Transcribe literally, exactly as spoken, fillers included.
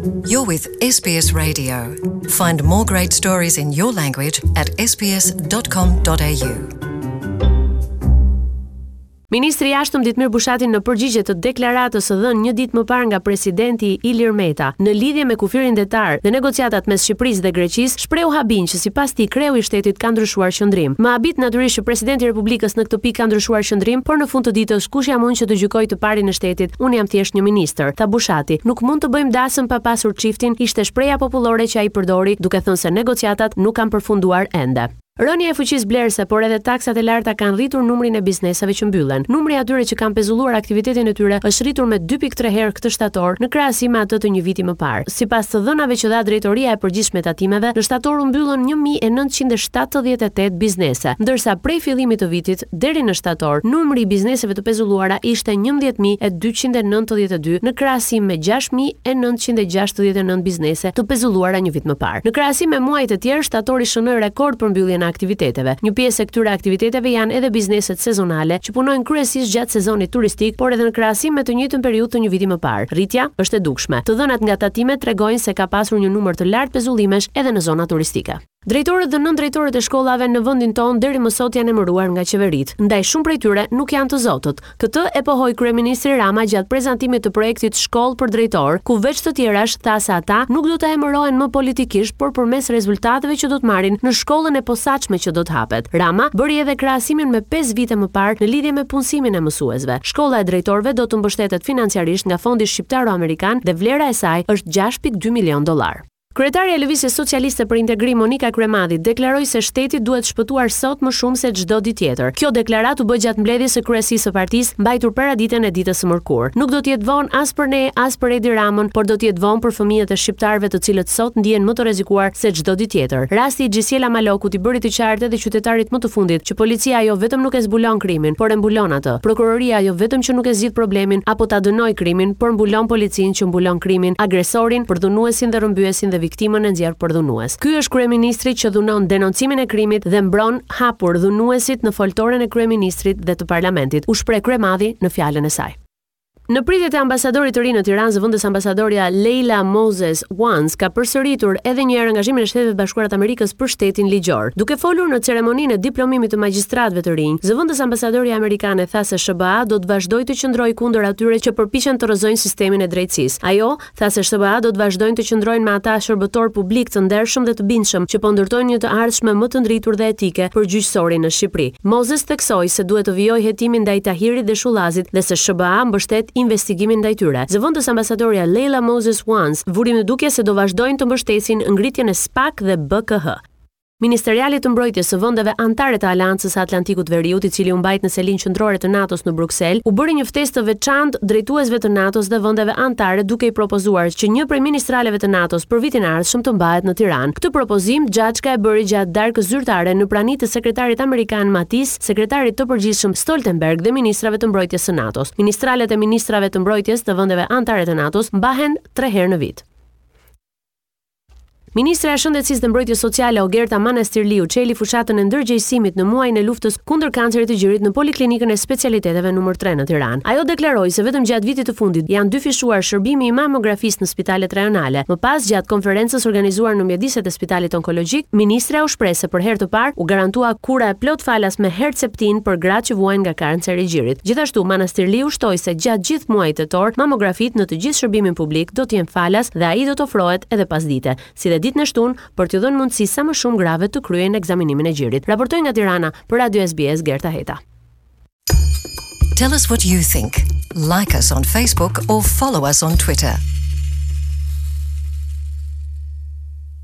You're with S B S Radio. Find more great stories in your language at S B S dot com dot A U. Ministri i Jashtëm Ditmir Bushati, në përgjigje të deklaratës së dhënë një ditë më parë nga presidenti Ilir Meta në lidhje me kufirin detar dhe negociatat mes Shqipërisë dhe Greqisë, shprehu habinë që, sipas tij, kreu i shtetit ka ndryshuar qendrim. "Më habit natyrisht që presidenti i Republikës në këtë pikë ka ndryshuar qendrim, por në fund të ditës kush jam unë që të gjykoj të parin e shtetit? Unë jam thjesht një ministër", tha Bushati. "Nuk mund të bëjmë dasëm pa pasur çiftin", ishte shprehja popullore që ai përdori, duke thënë se negociatat nuk kanë përfunduar ende. Rënia e fuqisë blerëse, por edhe taksat e larta kanë rritur numrin e bizneseve që mbyllen. Numri i atyre që kanë pezulluar aktivitetin e tyre është rritur me dy pikë tre herë këtë shtator në krahasim me atë të një viti më parë. Sipas të dhënave që dha Drejtoria e Përgjithshme e Tatimeve, në shtator u mbyllën një mijë e nëntëqind e shtatëdhjetë e tetë biznese, ndërsa prej fillimit të vitit deri në shtator numri i bizneseve të pezulluara ishte njëmbëdhjetë mijë e dyqind e nëntëdhjetë e dy në krahasim me gjashtë mijë e nëntëqind e gjashtëdhjetë e nëntë biznese të pezulluara një vit më parë. Në krahasim me muajt e tjerë, shtatori shënoi rekord për mbylljen e aktiviteteve. Një pjesë e këtyre aktiviteteve janë edhe bizneset sezonale që punojnë kryesisht gjatë sezonit turistik, por edhe në krahasim me të njëjtën periudhë të një viti më parë. Rritja është e dukshme. Të dhënat nga tatimet tregojnë se ka pasur një numër të lartë pezullimesh edhe në zona turistike. Drejtorët dhe nëndrejtorët e shkollave në vendin tonë deri më sot janë emëruar nga qeveritë, ndaj shumë prej tyre nuk janë të zotët. Këtë e pohoi kryeministri Rama gjatë prezantimit të projektit Shkollë për Drejtor, ku veç të tjerash tha se ata nuk do të emërohen më politikisht, por përmes rezultateve që do të marrin në shkollën e posaçme që do të hapet. Rama bëri edhe krahasimin me pesë vite më parë në lidhje me punësimin e mësuesve. Shkolla e drejtorëve do të mbështetet financiarisht nga Fondi Shqiptaro-Amerikan dhe vlera e saj është gjashtë pikë dy milion dollar. Kryetarja e Lëvizjes Socialiste për Integrim, Monika Kryemadhi, deklaroi se shteti duhet shpëtuar sot më shumë se çdo ditë tjetër. Kjo deklaratë u bë gjatë mbledhjes së kryesisë së partisë, mbajtur paraditen e ditës së mërkurë. "Nuk do të jetë vonë as për ne, as për Edi Ramën, por do të jetë vonë për fëmijët e shqiptarëve, të cilët sot ndihen më të rrezikuar se çdo ditë tjetër. Rasti i Xhisiela Malokut i bëri të qartë edhe qytetarit më të fundit që policia jo vetëm nuk e zbulon krimin, por e mbulon atë. Prokuroria jo vetëm që nuk e zgjidh problemin apo ta dënoj krimin, por mbulon policinë që mbulon krimin, agresorin, përdhunuesin dhe rrëmbyesin dhe viktimën e nxjerr përdhunues. Ky është kryeministri që dhunon denoncimin e krimit dhe mbron hapur dhunuesit në foltoren e kryeministrit dhe të parlamentit", u shpreh Kryemadhi në fjalën e saj. Në pritjet e ambasadorit të ri në Tiranë, zëvendës ambasadorja Leila Moses Once ka përsëritur edhe një herë angazhimin e Shteteve të Bashkuara të Amerikës për shtetin ligjor. Duke folur në ceremoninë e diplomimit të magjistratëve të rinj, zëvendës ambasadorja amerikane tha se S H B A do të vazhdojë të qëndrojë kundër atyre që përpiqen të rrëzojnë sistemin e drejtësisë. Ajo tha se S H B A do të vazhdojnë të qëndrojnë me ata shërbëtor publik të ndershëm dhe të bindshëm që po ndërtojnë një të ardhshme më të ndritur dhe etike për gjyqësorin në Shqipëri. Moses theksoi se duhet të vijojë hetimin ndaj Tahirit dhe Shullazit dhe se S H B A mbështet investigimin ndaj tyre. Zëvendës ambasadorja Leila Moses Once vuri në dukje se do vazhdojnë të mbështesin ngritjen e S P A K dhe B K H. Ministerialit të Mbrojtjes së vendeve anëtare të Aleancës së Atlantikut Veriut, i cili u mbajt në selinë qendrore të NATO-s në Bruksel, u bëri një ftesë të veçantë drejtuesve të NATO-s dhe vendeve anëtare, duke i propozuar që një prej ministraleve të NATO-s për vitin e ardhshëm të mbahet në Tiranë. Këtë propozim Xhaçka e bëri gjatë darkës zyrtare në prani të sekretarit amerikan Mattis, sekretarit të përgjithshëm Stoltenberg dhe ministrave të mbrojtjes së NATO-s. Ministralet e ministrave të mbrojtjes të vendeve anëtare të NATO-s mbahen tre herë në vit. Ministra e Shëndetësisë dhe Mbrojtjes Sociale, Ogerta Manastirliu, çeli fushatën e ndërgjegjësimit në muajin e luftës kundër kancerit të gjirit në Poliklinikën e Specialiteteve numër tre në Tiranë. Ajo deklaroi se vetëm gjatë vitit të fundit janë dyfishuar shërbimi i mamografisë në spitalet rajonale. Më pas, gjatë konferencës organizuar në mjediset e spitalit onkologjik, ministra u shpreh se për herë të parë u garantua kura e plot falas me Herceptin për gratë që vuajnë nga kanceri i gjirit. Gjithashtu, Manastirliu shtoi se gjatë gjithë muajit tetor mamografitë në të gjithë shërbimin publik do të jenë falas dhe ai do të ofrohet edhe pasdite, si dhe ditën e shtunë, për t'ju dhënë mundësi sa më shumë grave të kryejnë ekzaminimin e gjirit. Raportoi nga Tirana për Radio S B S, Gerta Heta. Tell us what you think. Like us on Facebook or follow us on Twitter.